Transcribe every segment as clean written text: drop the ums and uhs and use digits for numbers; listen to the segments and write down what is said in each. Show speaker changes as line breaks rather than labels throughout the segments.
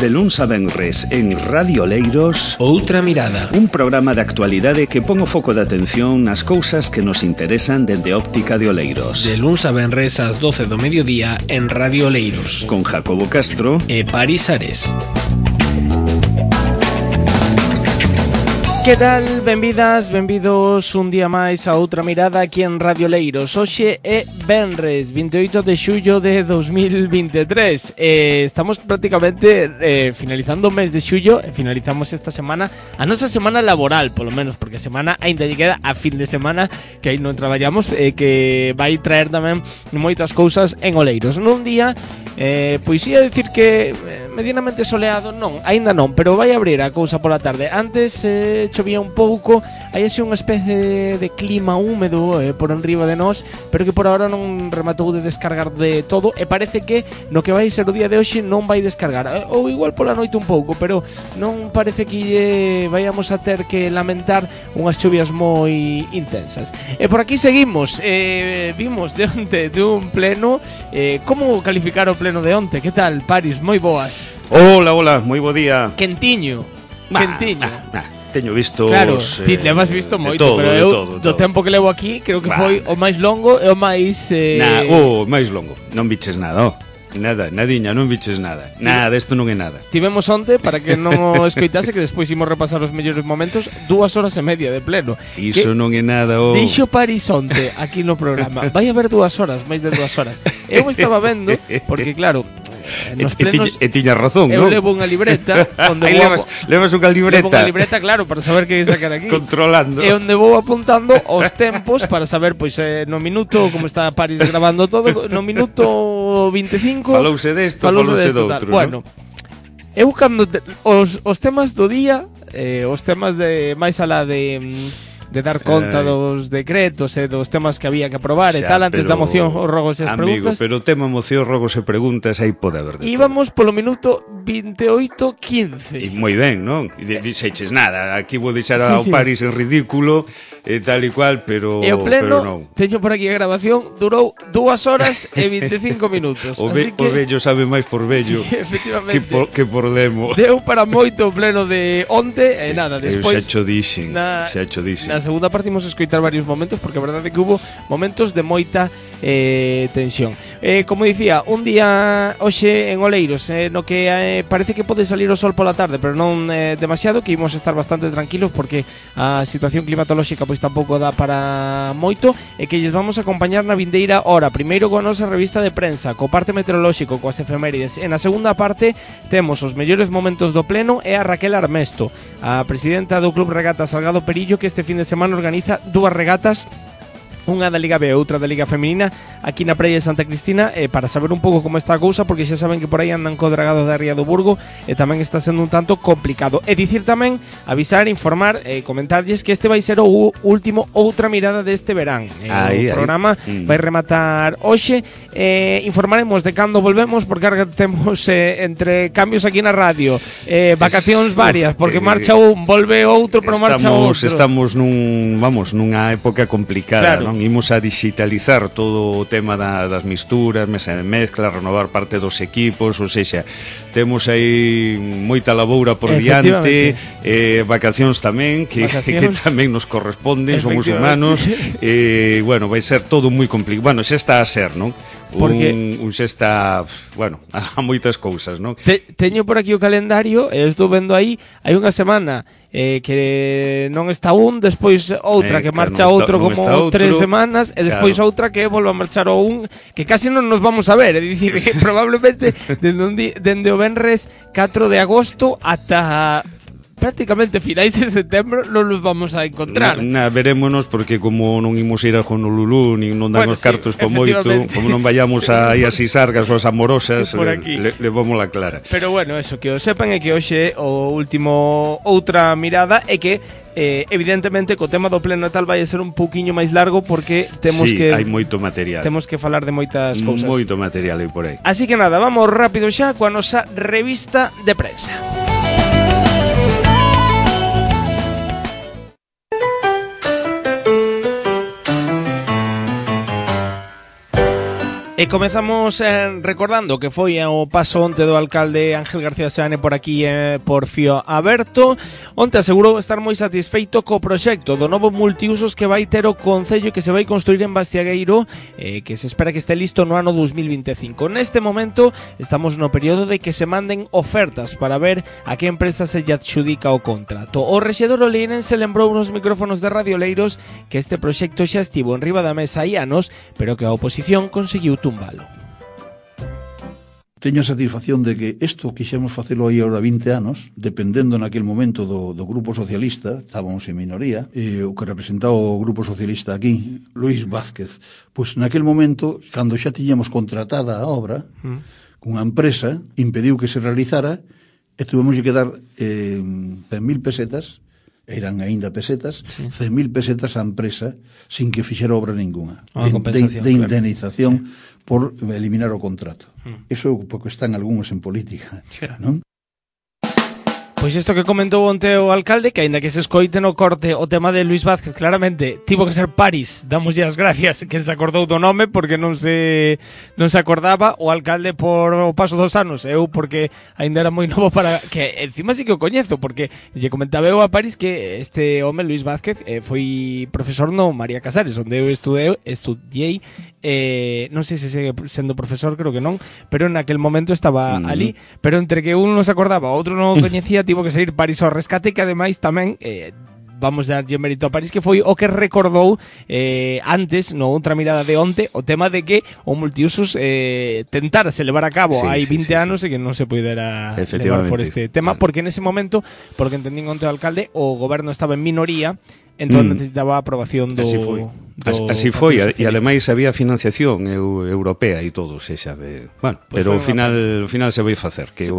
De luns a venres en Radio Oleiros,
Outra Mirada,
un programa de actualidade que pon o foco de atención nas cousas que nos interesan dende óptica de Oleiros.
de luns a venres ás 12 do mediodía en Radio Oleiros,
Con Jacobo Castro
e Paris Ares.
Que tal? Benvidas, benvidos un día máis a Outra Mirada aquí en Radio Oleiros. Hoxe é venres 28 de xullo de 2023. Estamos prácticamente finalizando o mes de xullo e finalizamos esta semana, a nosa semana laboral, polo menos, porque a semana ainda lle queda a fin de semana que aí non traballamos, que vai traer tamén moitas cousas en Oleiros. Nun día, pois ia dicir que medianamente soleado, non, aínda non, pero vai abrir a cousa pola tarde. Antes chovía un pouco, hai así unha especie de clima húmedo por enriba de nós, pero que por ahora non rematou de descargar de todo e parece que no que vai ser o día de hoxe non vai descargar, ou igual pola noite un pouco, pero non parece que vayamos a ter que lamentar unhas chuvias moi intensas. E por aquí seguimos, vimos de onte de un pleno, como calificar o pleno de onte? Que tal, Paris? Moi boas.
Hola, hola, moi bo día.
Quentiño. Quentiño.
Teño visto
Claro, ti lemas visto moito, pero eu do tempo que levo aquí creo que foi o máis longo e o máis
o máis longo. Non biches nada, nadiña, non biches nada. Nada, isto non é nada.
Tivemos onte, para que non o escoitase, que despois imos repasar os mellores momentos, 2 horas e media de pleno.
Iso non é nada,
Dixo Paris onte aquí no programa. Vai haber 2 horas, máis de 2 horas. Eu estaba vendo, porque claro, nos plenos
e tiña razón,
eu
non?
levo unha libreta onde
Aí levas unha libreta.
levo unha libreta, claro, para saber que sacar aquí.
Controlando.
E onde vou apuntando os tempos para saber, pois, no minuto, como está Paris grabando todo, no minuto 25
Falouse desto, falouse doutro,
bueno, eu cando os temas do día, os temas de máis alá de dar conta dos decretos e dos temas que había que aprobar e tal, antes da moción, os rogos e as
amigo,
preguntas.
pero o tema moción, rogos e preguntas aí pode haber de
Íbamos polo minuto 28:15.
E moi ben, non? E dixeches nada, aquí vou deixar
Sí,
ao
sí.
Paris en ridículo e tal e cual, pero
E o pleno,
non.
teño por aquí a grabación, durou 2 horas e 25 minutos.
O
Así que,
vello sabe máis por vello
sí, efectivamente,
que por demo.
deu para moito o pleno de onte e nada, despois
Xa cho dixen.
na segunda parte imos escoitar varios momentos, porque a verdade é que hubo momentos de moita tensión. Como dicía, un día hoxe en Oleiros, no que parece que pode salir o sol pola tarde, pero non demasiado, que imos estar bastante tranquilos porque a situación climatolóxica pois tampouco dá para moito, e que lles vamos a acompañar na vindeira hora, primeiro coa nosa revista de prensa, co parte meteorolóxico, coas efemérides. En a segunda parte temos os mellores momentos do pleno e a Raquel Armesto, a presidenta do Club Regata Salgado Perillo, que este fin de semana organiza 2 regatas, unha da Liga B e outra da Liga Feminina aquí na praia de Santa Cristina, para saber un pouco como está a cousa, porque xa saben que por aí andan co dragado da Ría do Burgo e tamén está sendo un tanto complicado. E dicir tamén, avisar, informar, comentarlles que este vai ser o último Outra Mirada deste verán. O programa vai rematar hoxe. Informaremos de cando volvemos, porque ahora temos entre cambios aquí na radio, vacacións varias, porque marcha un, volve outro, pero marcha outro.
Estamos nunha época complicada,
claro.
Non? Imos a digitalizar todo o tema das misturas, mesa de mezcla, renovar parte dos equipos, ou seja, temos aí moita laboura por diante, vacacións tamén, que tamén nos corresponden, somos humanos, bueno, vai ser todo moi complicado. Bueno, xa está a ser, non? Porque un xa está, bueno, a moitas cousas, non?
Teño por aquí o calendario, estou vendo aí, hai unha semana que non está un, despois outra que marcha outro como 3 semanas, e despois outra que volve a marchar o un, que casi non nos vamos a ver, é dicir, que probablemente dende o venres 4 de agosto ata prácticamente finais de setembro non nos vamos a encontrar.
Verémonos, porque como non imos ir a Honolulu, nin non dan os cartos por moito, como non vayamos a Sisargas ou as Amorosas, levámola clara.
Pero bueno, eso, que o sepan, é que hoxe o último Outra Mirada, é que evidentemente co tema do pleno e tal vai a ser un pouquiño máis largo, porque temos que
hai moito material.
Temos que falar de moitas cousas.
Moito material aí por aí.
Así que nada, vamos rápido xa coa nosa revista de prensa. E comezamos recordando que foi o paso onte do alcalde Ángel García Seane por aquí por Fío Aberto. Onte asegurou estar moi satisfeito co proxecto do novo multiusos que vai ter o Concello, que se vai construir en Bastiagueiro, que se espera que este listo no ano 2025. Neste momento estamos no período de que se manden ofertas para ver a que empresa se lle adxudica o contrato. O rexedor oleirense lembrou nos micrófonos de Radio Oleiros que este proxecto xa estivo en riba da mesa hai anos, pero que a oposición conseguiu tumbalo.
Teño a satisfacción de que isto quixemos facelo aí ahora 20 anos, dependendo naquel momento do Grupo Socialista, estábamos en minoría, e o que representaba o Grupo Socialista aquí, Luís Vázquez, pois naquel momento, cando xa tiñamos contratada a obra, cunha empresa, impediu que se realizara, e tuvemos que dar 100.000 pesetas, eran aínda pesetas, sí. 100.000 pesetas á empresa sin que fixera obra ninguna, de indemnización, claro, sí, por eliminar o contrato. Eso porque están algúns en política, non?
Pois isto que comentou onte o alcalde, que aínda que se escoite no corte o tema de Luís Vázquez, claramente tivo que ser París, damoslle as gracias que se acordou do nome, porque non se acordaba o alcalde por o paso dos anos, eu porque aínda era moi novo para que encima sí que o coñezo, porque lle comentaba eu a París que este home Luís Vázquez foi profesor no María Casares, onde eu estudiei, non sei se segue sendo profesor, creo que non, pero en aquel momento estaba ali, pero entre que un non se acordaba, outro non o coñecía, tivo que sair París ao rescate, que ademais tamén vamos darlle mérito a París, que foi o que recordou antes, no outra mirada de onte, o tema de que o multiusos tentárase levar a cabo hai 20 anos e que non se pudera levar por este tema, porque en ese momento, porque entendín onte o alcalde, o goberno estaba en minoría, entón necesitaba a aprobación do...
Así foi, e ademais había financiación europea e todo, se sabe. Bueno, pues pero ao final se vai facer, que é o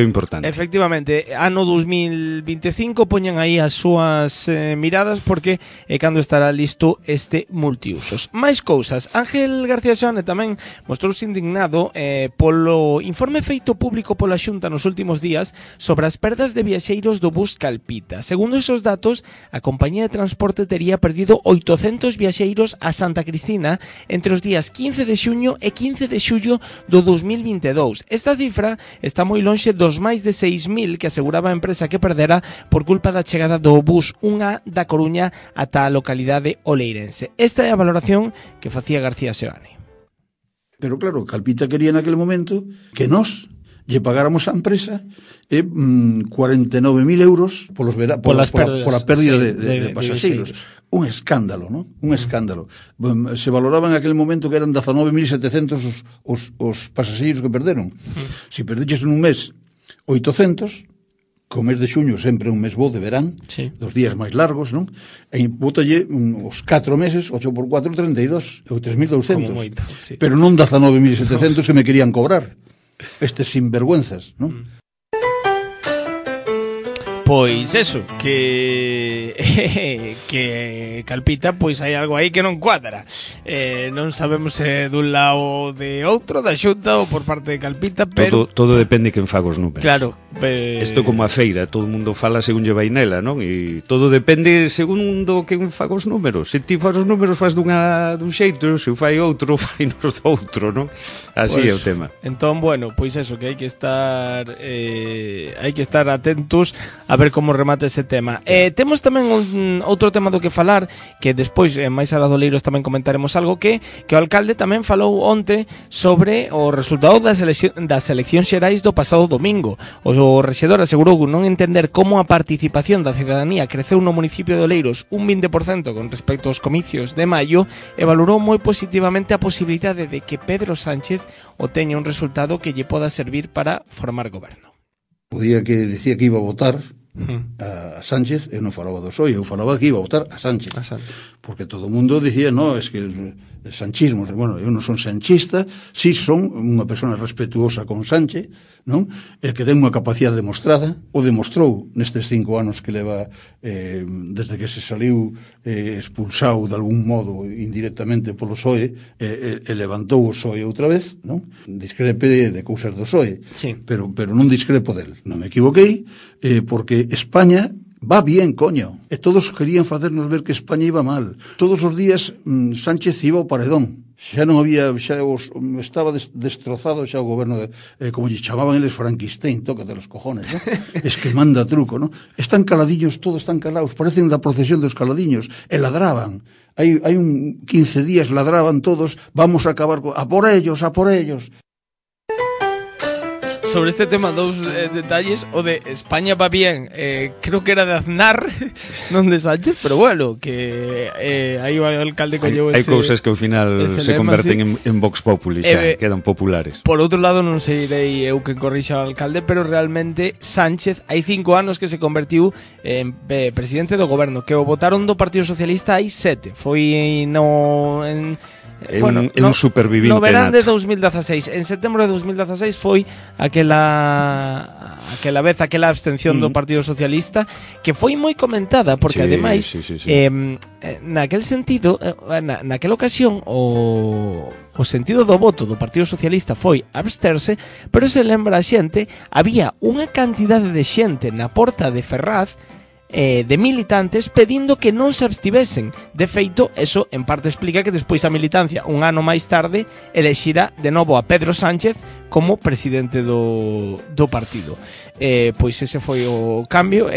importante.
Efectivamente, ano 2025 poñan aí as súas miradas, porque é cando estará listo este multiusos. Mais cousas, Ángel García Seane tamén mostrouse indignado polo informe feito público pola Xunta nos últimos días sobre as perdas de viaxeiros do bus Calpita. Segundo esos datos, a compañía de transporte tería perdido 800 viaxeiros a Santa Cristina entre os días 15 de xuño e 15 de xullo do 2022. Esta cifra está moi lonxe dos máis de 6.000 que aseguraba a empresa que perdera por culpa da chegada do bus 1A da Coruña ata a localidade oleirense. Esta é a valoración que facía García Seane.
Pero claro, Calpita quería naquele momento que nós lle pagáramos á empresa 49.000 euros pola pérdida de pasaxeiros. Un escándalo, non? Un escándalo. Se valoraba en aquel momento que eran 19.700 os pasaxeiros que perderon. Se perdiches nun mes 800, co mes de xuño sempre un mes bo de verán, dos días máis largos, non? E bótalle os 4 meses, 8 por 4, 32, ou 3.200. Pero non 19.700 que me querían cobrar. Estes sinvergüenzas, non?
Pois eso, que Calpita, pois hai algo aí que non cuadra. Non sabemos se dun lado de outro, da Xunta ou por parte de Calpita, pero...
Todo depende quen faga os números.
Claro.
Isto como a feira, todo o mundo fala según lle vai nela, non? E todo depende segundo quen faga os números. Se ti faz os números faz dun xeito, se o fai outro, fai nos outro, non? Así é o tema.
Entón, bueno, pois eso, que hai que estar atentos a ver como remata ese tema. Temos tamén outro tema do que falar, que despois máis a Oleiros tamén comentaremos algo, que o alcalde tamén falou onte sobre o resultado das eleccións xerais do pasado domingo. O rexedor asegurou non entender como a participación da cidadanía creceu no municipio de Oleiros un 20% con respecto aos comicios de maio, e valorou moi positivamente a posibilidade de que Pedro Sánchez obteña un resultado que lle poda servir para formar goberno.
Podía que decía que iba a votar a Sánchez, eu non falaba do PSOE, eu falaba que iba a votar a Sánchez. Porque todo o mundo dicía, no, es que el sanchismo, bueno, eu non son sanchista, si son unha persona respetuosa con Sánchez, non? E que ten unha capacidade demostrada, o demostrou nestes 5 anos que leva desde que se saliu expulsado de algún modo indirectamente polo PSOE, e levantou o PSOE outra vez, non? Discrepe de cousas do PSOE, pero non discrepo del. Non me equivoquei, porque España va bien, coño. E todos querían facernos ver que España iba mal. Todos os días Sánchez iba ao paredón. xa non había, estaba destrozado xa o goberno como lle chamaban eles Frankenstein, tócate los cojones, ¿no? Es que manda truco, ¿no? Están caladiños, todos están calados, parecen da procesión dos caladiños, e ladraban. Hai un 15 días ladraban todos, vamos a acabar a por ellos.
Sobre este tema, dous detalles. O de España va bien, creo que era de Aznar, non de Sánchez, pero bueno, que aí o alcalde colleu ese...
Hai cousas que ao final se converten en Vox Populi, xa quedan populares.
Por outro lado, non sei eu que corrixa o alcalde, pero realmente Sánchez hai 5 anos que se convertiu en presidente do goberno, que o votaron do Partido Socialista hai 7. Foi
un supervivinte
no verán de 2016. En setembro de 2016 foi aquela abstención do Partido Socialista, que foi moi comentada, porque ademais naquel sentido, naquela ocasión o sentido do voto do Partido Socialista foi absterse, pero se lembra a xente, había unha cantidade de xente na porta de Ferraz, de militantes pedindo que non se abstivesen. De feito, eso en parte explica que despois a militancia, un ano máis tarde, elexira de novo a Pedro Sánchez como presidente do partido. Pois ese foi o cambio.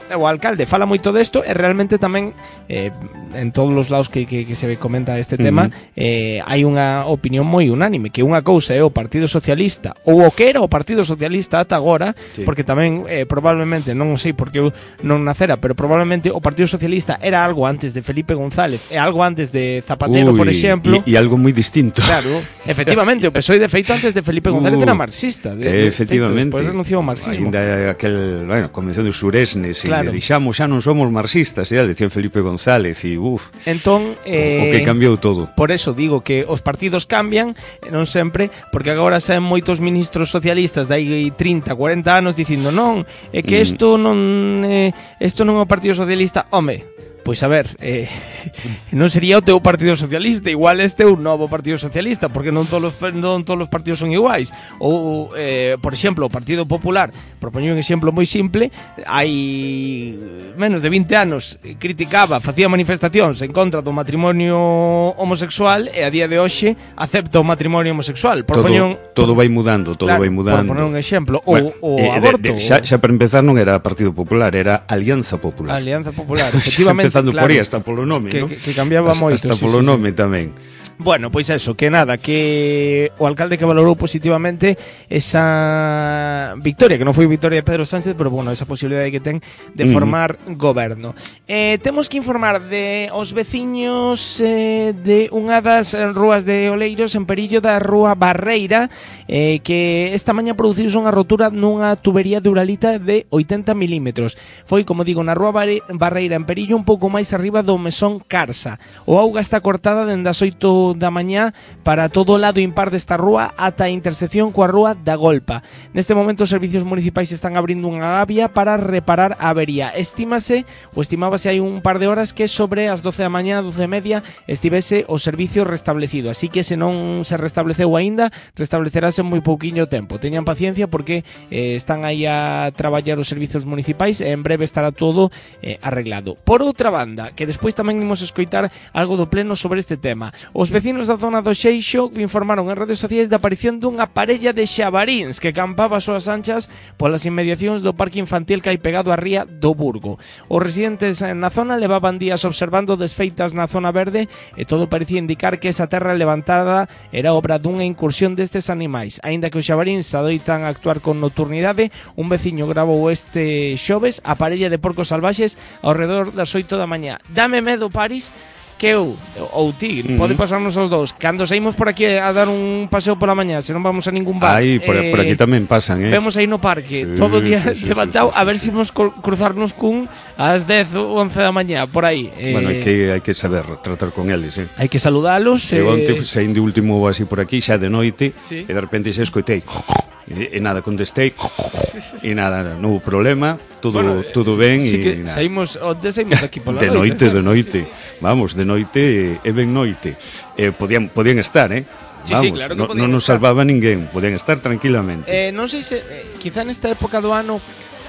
O alcalde fala moito desto e realmente tamén en todos os lados que se comenta este tema hai unha opinión moi unánime, que unha cousa é o Partido Socialista, ou o que era o Partido Socialista ata agora, porque tamén probablemente, non sei porque eu non nacera, pero probablemente o Partido Socialista era algo antes de Felipe González e algo antes de Zapatero, por exemplo,
e algo moi distinto.
Claro, efectivamente, o PSOE de feito antes de Felipe González era marxista,
efectivamente,
despois renunciou ao marxismo.
Ainda aquel, Convención de Suresnes, claro. Dixamos, xa non somos marxistas, decía Felipe González, e
entón,
o que cambiou todo.
Por eso digo que os partidos cambian, non sempre, porque agora saen moitos ministros socialistas de aí 30, 40 anos dicindo non, é que isto non é o Partido Socialista. Home, pois a ver, non sería o teu Partido Socialista, igual este é un novo Partido Socialista, porque non todos os partidos son iguais. Ou, por exemplo, o Partido Popular, propoño un exemplo moi simple, hai menos de 20 anos facía manifestacións en contra do matrimonio homosexual e a día de hoxe acepta o matrimonio homosexual.
Todo vai mudando, vai mudando.
Por poner un exemplo, o aborto.
Xa para empezar non era Partido Popular, era Alianza Popular.
Alianza Popular, efectivamente.
Empezando por aí, hasta polo nome,
que cambiaba moito.
Hasta polo nome tamén.
Bueno, pois eso, que nada, que o alcalde que valorou positivamente esa victoria, que non foi victoria de Pedro Sánchez, pero bueno, esa posibilidade que ten de formar goberno. Temos que informar de os veciños de unha das rúas de Oleiros, en Perillo, da Rúa Barreira, que esta mañá produciuse unha rotura nunha tubería de uralita de 80 milímetros. Foi, como digo, na Rúa Barreira, en Perillo, un pouco máis arriba do mesón Carsa. O auga está cortada dende as 8 da mañá para todo o lado impar desta rúa ata a intersección coa rúa da Golpa. Neste momento os servicios municipais están abrindo unha gavia para reparar a avería. Estímase hai un par de horas que sobre as 12 da mañá, 12:30, estivese o servicio restablecido. Así que se non se restableceu aínda, restableceráse en moi pouquiño tempo. Teñan paciencia porque están aí a traballar os servicios municipais e en breve estará todo arreglado. Por outra banda, que despois tamén imos escoitar algo do pleno sobre este tema, os vecinos da zona do Xeixo informaron en redes sociais da aparición dunha parella de xabaríns que campaba as súas anchas polas inmediacións do parque infantil que hai pegado á ría do Burgo. Os residentes na zona levaban días observando desfeitas na zona verde e todo parecía indicar que esa terra levantada era obra dunha incursión destes animais. Aínda que os xabaríns adoitan actuar con nocturnidade, un veciño gravou este xoves a parella de porcos salvaxes ao redor das 8 da mañá. Dame medo, Paris, que eu ou ti, pode pasarnos os dous. Cando saímos por aquí a dar un paseo pola mañá, se non vamos a ningún bar.
Por aquí tamén pasan,
Vemos aí no parque, todo o día levantado, a ver se imos cruzarnos cun ás 10 ou 11 da mañá, por aí.
Bueno, hai que saber tratar con eles,
Hai que saludalos.
Eu onte saín de último así por aquí, xa de noite, e de repente xa escoitei e nada, contestei e nada, non hubo problema, todo ben.
Sí que saímos aquí pola
noite. De noite, vamos, de noite e ben noite. Podían estar,
Vamos, sí, claro que
non nos salvaba ninguén, podían estar tranquilamente.
Non sei se quizá nesta época do ano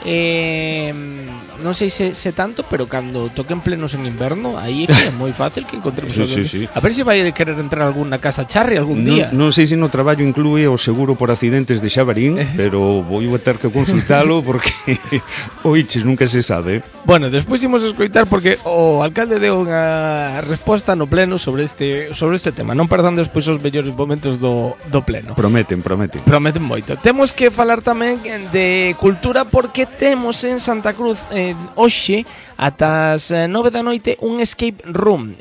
non sei se tanto, pero cando toquen plenos en inverno, aí é moi fácil que encontremos
sí.
A ver se vai querer entrar algún na casa Charri algún día.
Non sei se no traballo inclúe o seguro por accidentes de Xabarín, pero vou a ter que consultalo porque oiches, nunca se sabe.
Bueno, despois imos escoitar porque o alcalde deu unha resposta no pleno sobre este tema. Non perdan despois os mellores momentos do pleno.
Prometen
moito. Temos que falar tamén de cultura porque temos en Santa Cruz hoxe ata as 9 da noite un escape room,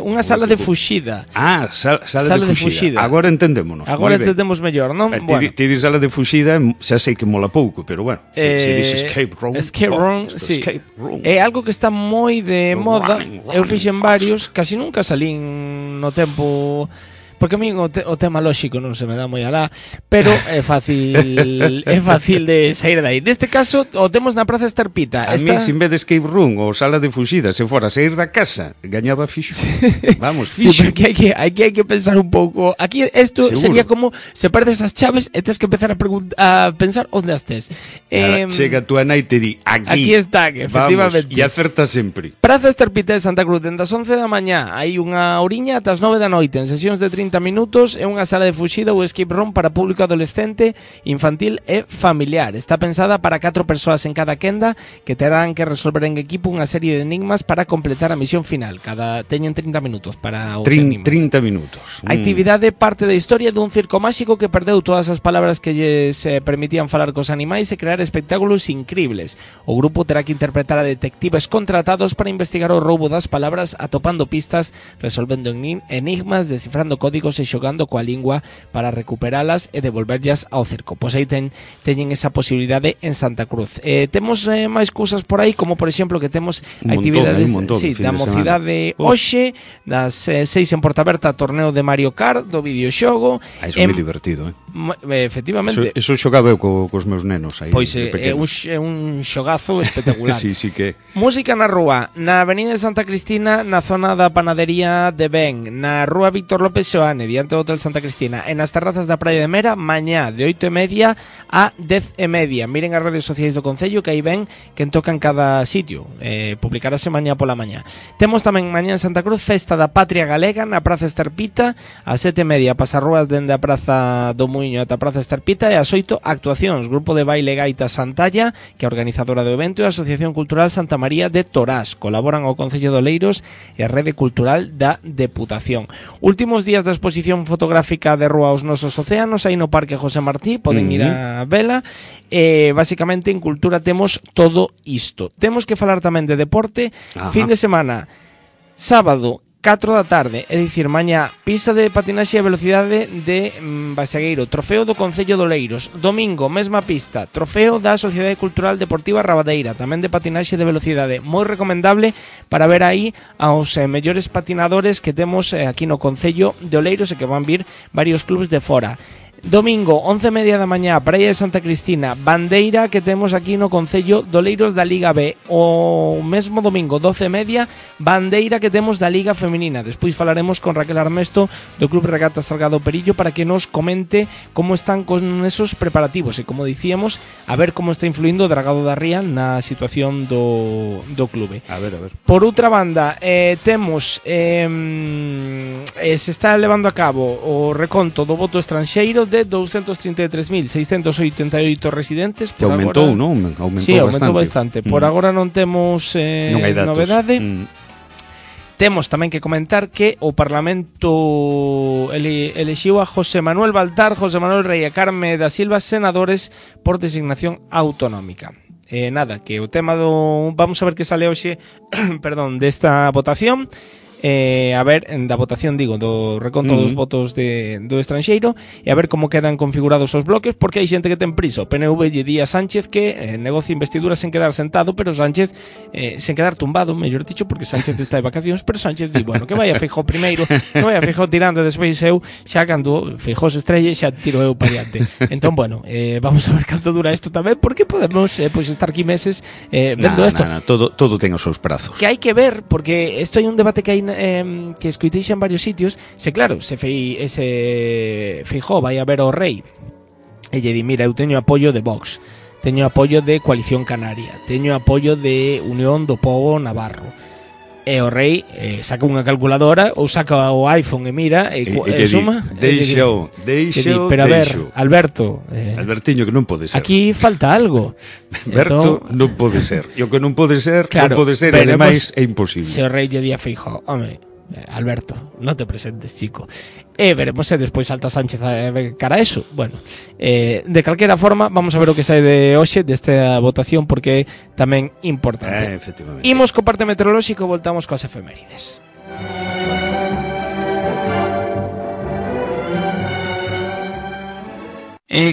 unha sala de fuxida.
Sala de fuxida. Agora entendémonos.
Agora entendemos mellor, non?
Ti dis sala de fuxida, xa sei que mola pouco, pero bueno, se dis escape room.
Sí. É algo que está moi de moda. Eu fixen varios, casi nunca salín no tempo, porque a mí o tema lóxico non se me dá moi alá, pero é fácil de sair dai. Neste caso, o temos na Praza Esterpita.
A mí, sin vez de escape room ou sala de fuxida, se fora sair da casa, gañaba fixo. Vamos, fixo.
Sí, porque hai que pensar un pouco. Aquí isto sería como se perdes as chaves e tens que empezar a pensar onde estés.
Chega a tua nai e te di,
aquí están, efectivamente.
Vamos, e acerta sempre.
Praza Esterpita de Santa Cruz, dende as 11 da mañá, hai unha horiña ata as 9 da noite, en sesións de 30 minutos, é unha sala de fuxida ou escape room para público adolescente, infantil e familiar. Está pensada para 4 persoas en cada quenda que terán que resolver en equipo unha serie de enigmas para completar a misión final. Teñen 30 minutos para os enigmas.
30 minutos.
A actividade parte da historia dun circo máxico que perdeu todas as palabras que lles permitían falar cos animais e crear espectáculos incribles. O grupo terá que interpretar a detectives contratados para investigar o roubo das palabras, atopando pistas, resolvendo enigmas, descifrando códigos e xogando coa lingua para recuperalas e devolverlas ao circo. Pois aí teñen esa posibilidade en Santa Cruz. Temos máis cousas por aí, como por exemplo que temos actividades da mocidade hoxe, das 6 en Portaberta, torneo de Mario Kart, do videoxogo.
Iso é moi divertido,
efectivamente.
Eso xogaba eu cos meus nenos aí.
Pois é un xogazo espectacular.
Sí que.
Música na rúa, na Avenida de Santa Cristina, na zona da panadería de Ben, na Rúa Víctor López Xoane, diante do Hotel Santa Cristina, en as terrazas da Praia de Mera, mañá de 8:30 a 10:30. Miren as redes sociais do Concello que aí ven quen toca en cada sitio. Publicarase mañá pola mañá. Temos tamén mañá en Santa Cruz Festa da Patria Galega na Praza Esterpita, a 7:30 pasarrúas dende a Praza do Muiño ata a Praza Esterpita e as 8 actuacións. Grupo de baile Gaita Santalla, que é a organizadora do evento, e a Asociación Cultural Santa María de Torás. Colaboran o Concello de Oleiros e a Rede Cultural da Deputación. Últimos días da exposición fotográfica de Rúa aos Nosos Océanos, aí no Parque José Martí, poden ir a vela. Básicamente en cultura temos todo isto. Temos que falar tamén de deporte. Fin de semana, sábado 4 da tarde, é dicir, mañá, pista de patinaxe a velocidade de Basagueiro, trofeo do Concello de Oleiros. Domingo, mesma pista, trofeo da Sociedade Cultural Deportiva Rabadeira, tamén de patinaxe de velocidade. Moi recomendable para ver aí aos mellores patinadores que temos aquí no Concello de Oleiros e que van vir varios clubes de fora. Domingo, 11:30 da mañá, Praia de Santa Cristina, bandeira que temos aquí no Concello de Oleiros da Liga B. O mesmo domingo, 12:30, bandeira que temos da Liga Feminina. Despois falaremos con Raquel Armesto do Club Regata Salgado Perillo para que nos comente como están con esos preparativos e, como dicíamos, a ver como está influindo o Dragado da Ría na situación do clube.
A ver.
Por outra banda, temos se está levando a cabo o reconto do voto estranxeiro de 233.688 residentes.
Que aumentou, agora, non?
Aumentou bastante. Por agora non temos novedade. Temos tamén que comentar que o Parlamento elixiu a José Manuel Baltar, José Manuel Rey e Carme da Silva senadores por designación autonómica. Nada, que o tema vamos a ver que sale hoxe perdón, desta votación. A ver, da votación, digo, do reconto dos votos do estranxeiro e a ver como quedan configurados os bloques, porque hai xente que ten prisa. O PNV lle di a Sánchez que negocia investidura sen quedar sentado, pero Sánchez sen quedar tumbado, mellor dicho, porque Sánchez está de vacacións, pero Sánchez di, bueno, que vaya Feijóo primeiro, que vaya Feijóo tirando, despois eu, xa cando Feijóo se estrelle, xa tiro eu para diante. Entón, bueno, vamos a ver canto dura isto tamén, porque podemos pois estar aquí meses vendo isto.
Todo ten os seus prazos.
Que hai que ver, porque isto hai un debate que hai que escoitei en varios sitios, se claro, se Feijóo vai a ver ao rei e lle di, mira, eu teño apoio de Vox, teño apoio de Coalición Canaria, teño apoio de Unión do Pobo Navarro. E o rei saca unha calculadora ou saca o iPhone e mira e suma.
Deixo.
Pero a ver, Alberto,
Albertiño, que non pode ser.
Aquí falta algo.
Alberto, non pode ser. E o que non pode ser, claro, non pode ser, e ademais é imposible.
Se o rei lle di a Feijóo, home, Alberto, non te presentes, chico. E veremos se despois salta Sánchez cara a eso. Bueno, de calquera forma, vamos a ver o que sai de hoxe desta votación, porque é tamén importante.
Efectivamente.
Imos co parte meteorolóxico, voltamos coas efemérides.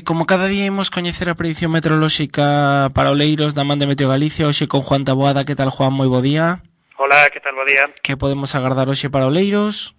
Como cada día imos coñecer a predicción meteorolóxica para Oleiros da man de Meteo Galicia, hoxe con Juan Taboada. Que tal, Juan? Moi bo día.
Hola, que tal, bo día.
Que podemos agardar hoxe para Oleiros?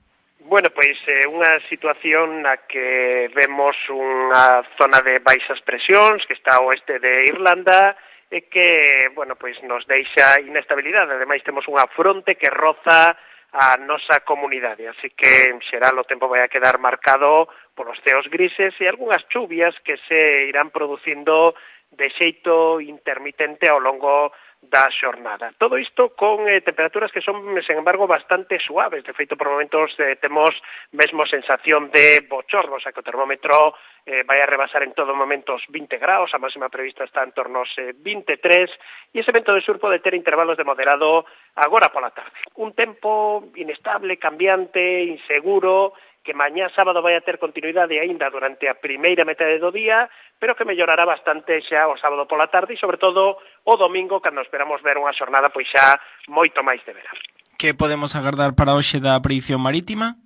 Bueno, pois unha situación na que vemos unha zona de baixas presións que está ao oeste de Irlanda e que, bueno, pois nos deixa inestabilidade. Ademais, temos unha fronte que roza a nosa comunidade, así que en xeral o tempo vai a quedar marcado polos ceos grises e algunhas chuvias que se irán producindo de xeito intermitente ao longo da xornada. Todo isto con temperaturas que son, sen embargo, bastante suaves. De feito, por momentos temos mesmo sensación de bochorno, o sea que o termómetro vai a rebasar en todo momento os 20 graus, a máxima prevista está en torno aos 23, e ese vento de sur pode ter intervalos de moderado agora pola tarde. Un tempo inestable, cambiante, inseguro, que mañá sábado vai a ter continuidade aínda durante a primeira metade do día, pero que mellorará bastante xa o sábado pola tarde e, sobre todo, o domingo, cando esperamos ver unha xornada pois xa moito máis de verán.
Que podemos agardar para hoxe da predicción marítima?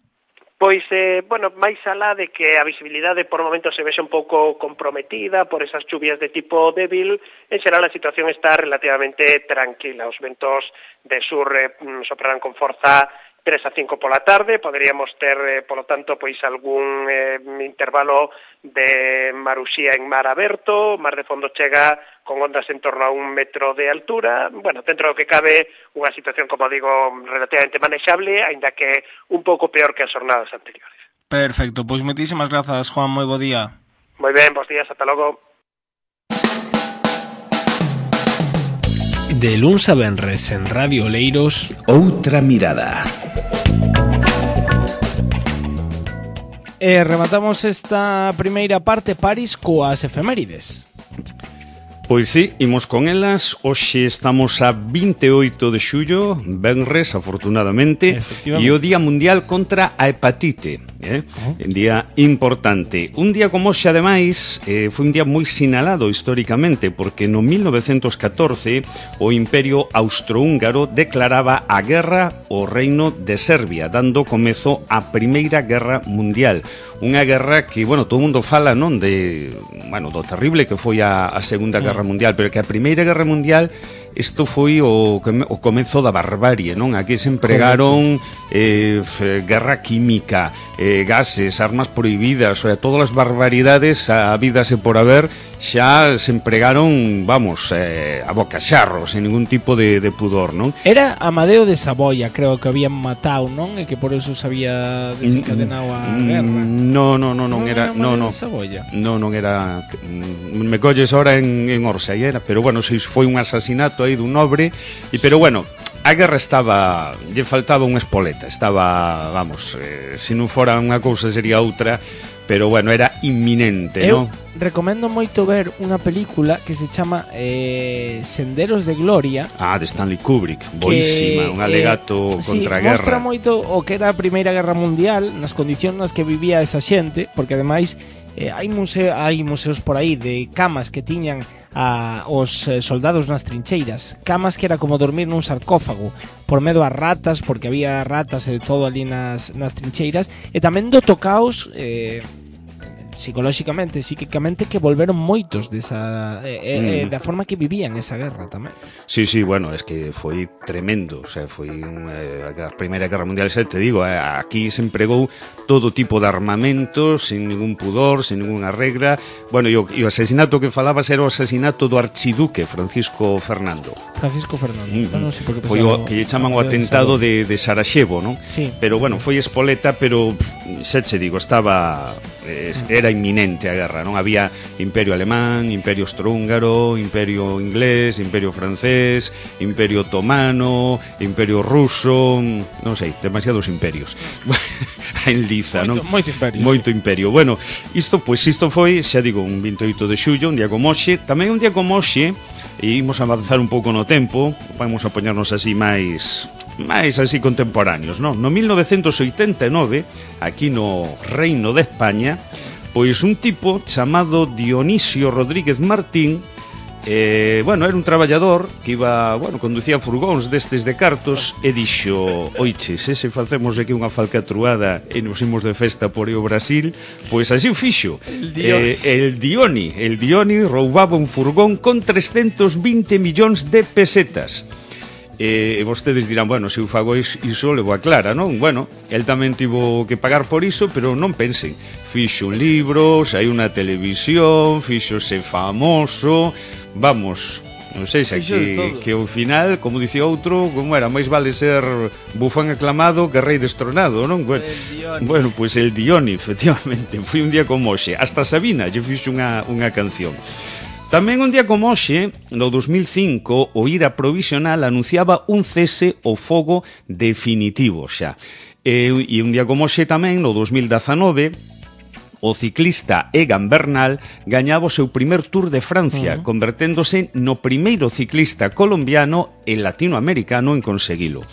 Pois, bueno, máis alá de que a visibilidade por momentos se vexe un pouco comprometida por esas chuvias de tipo débil, en xeral a situación está relativamente tranquila. Os ventos de sur soprarán con forza 3 a 5 pola tarde, poderíamos ter, polo tanto, pois algún intervalo de maruxía en mar aberto, mar de fondo chega con ondas en torno a 1 metro de altura, bueno, dentro do que cabe unha situación, como digo, relativamente manexable, aínda que un pouco peor que as jornadas anteriores.
Perfecto, pois moitísimas grazas, Juan, moi bo día.
Moi ben, bons días, ata logo.
De luns a venres en Radio Oleiros,
Outra mirada.
E rematamos esta primeira parte, Paris, coas efemérides.
Pois sí, imos con elas. Hoxe estamos a 28 de xullo, venres, afortunadamente, e o Día Mundial contra a Hepatite. Un día importante. Un día como hoxe, ademais, foi un día moi sinalado históricamente, porque no 1914 o Imperio Austrohúngaro declaraba a guerra ao Reino de Serbia, dando comezo á Primeira Guerra Mundial. Unha guerra que, bueno, todo o mundo fala, non, de, bueno, do terrible que foi a Segunda Guerra Mundial, pero que a Primeira Guerra Mundial isto foi o comezo da barbarie, non? Aquí se empregaron guerra química, gases, armas prohibidas, o sea, todas as barbaridades habídase por haber xa se empregaron, vamos, a bocaxarro, sen ningún tipo de pudor, non?
Era Amadeo de Saboia, creo que habían matado, non? E que por eso se había desencadenado a guerra.
Non era, non era, me colles ahora en Orsay, era, pero bueno, se foi un asasinato aí dun nobre, pero bueno, a guerra estaba, lle faltaba unha espoleta, estaba, vamos, se non fora unha cousa sería outra, pero bueno, era inminente, non?
Recomendo moito ver unha película que se chama Senderos de Gloria.
De Stanley Kubrick, boísima, un alegato contra a guerra.
Mostra moito o que era a Primeira Guerra Mundial, nas condicións nas que vivía esa xente, porque ademais hai museos por aí de camas que tiñan os soldados nas trincheiras, camas que era como dormir nun sarcófago por medo a ratas, porque había ratas e de todo ali nas trincheiras, e tamén do tocaos psicolóxicamente, psíquicamente, que volveron moitos desa da forma que vivían esa guerra tamén.
Sí, bueno, es que foi tremendo, o sea, foi a Primeira Guerra Mundial, xa te digo, aquí se empregou todo tipo de armamentos, sin ningún pudor, sin ninguna regra. Bueno, e o asesinato que falabas era o asesinato do archiduque Francisco Fernando.
Bueno, sí, porque
foi o que lle chaman o atentado de Sarajevo, non?
Sí.
Pero bueno, foi espoleta, pero xa che digo, estaba era era inminente a guerra, non había imperio alemán, imperio austrohúngaro, imperio inglés, imperio francés, imperio otomano, imperio ruso, non sei, demasiados imperios. En Liza, non? Moito imperio. Bueno, isto foi, xa digo, un 28 de xullo, un día como hoxe, tamén un día como hoxe, e imos avanzar un pouco no tempo, vamos a poñernos así máis así contemporáneos, non? No 1989, aquí no Reino de España, pois un tipo chamado Dionisio Rodríguez Martín, era un traballador que conducía furgóns destes de cartos e dixo, oiches, se facemos aquí unha falcatruada e nos imos de festa por o Brasil, pois así o fixo. El Dioni roubaba un furgón con 320 millóns de pesetas. E vostedes dirán, bueno, se eu fago iso levo a clara, non? Bueno, el tamén tivo que pagar por iso, pero non pensen, fixo un libro, saiu na televisión, fíxose famoso, vamos, non sei se que ao final, como dicía outro, como era, máis vale ser bufán aclamado que rei destronado, non? Bueno, pois el Dioni, efectivamente, foi un día como hoxe, hasta Sabina lle fixo unha canción. Tamén un día como hoxe, no 2005, o IRA provisional anunciaba un cese ao fogo definitivo xa. E un día como hoxe tamén, no 2019, o ciclista Egan Bernal gañaba o seu primer Tour de Francia, converténdose no primeiro ciclista colombiano e latinoamericano en conseguilo.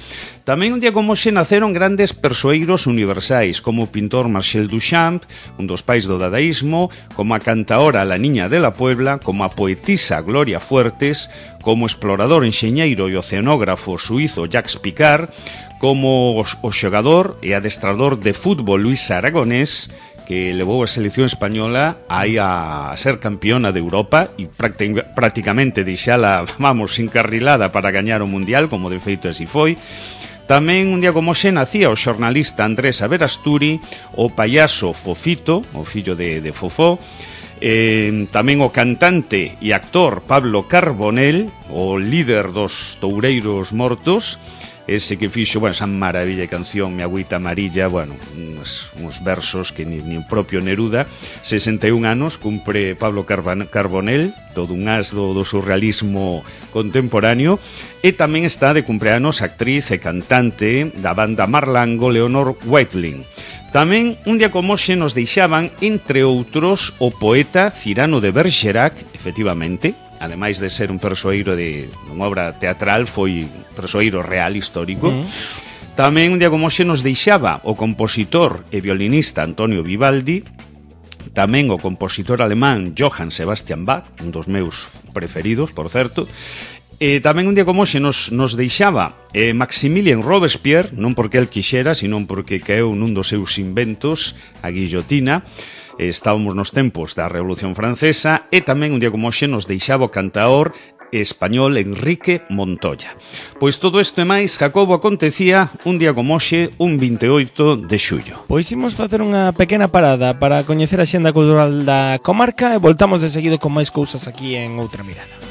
Tamén un día como hoxe naceron grandes persoeiros universais, como o pintor Marcel Duchamp, un dos pais do dadaísmo, como a cantaora La Niña de la Puebla, como a poetisa Gloria Fuertes, como o explorador, enxeñeiro e oceanógrafo suizo Jacques Picard, como o xogador e adestrador de fútbol Luis Aragonés, que levou a selección española aí a ser campeona de Europa e prácticamente deixala, encarrilada para gañar o Mundial, como de feito así foi. Tamén un día como hoxe nacía o xornalista Andrés Averasturi, o payaso Fofito, o fillo de Fofó, tamén o cantante e actor Pablo Carbonell, o líder dos toureiros mortos, ese que fixo, esa maravilla de canción Mi agüita amarilla, uns versos que ni o propio Neruda. 61 anos cumpre Pablo Carbonell, todo un as do surrealismo contemporáneo, e tamén está de cumpleanos a actriz e cantante da banda Marlango, Leonor Whiteling. Tamén un día como hoxe nos deixaban, entre outros, o poeta Cyrano de Bergerac, efectivamente, ademais de ser un persoeiro de unha obra teatral, foi persoeiro real histórico. Tamén un día como hoxe nos deixaba o compositor e violinista Antonio Vivaldi, tamén o compositor alemán Johann Sebastian Bach, un dos meus preferidos, por certo. Tamén un día como hoxe nos deixaba Maximilien Robespierre, non porque el quixera, sino porque caeu nun dos seus inventos, a guillotina. Estábamos nos tempos da Revolución Francesa, e tamén un día como hoxe nos deixaba o cantaor español Enrique Montoya. Pois todo isto e máis, Jacobo, acontecía un día como hoxe, un 28 de xullo.
Pois imos facer unha pequena parada para coñecer a xenda cultural da comarca e voltamos de seguido con máis cousas aquí en Outra Mirada.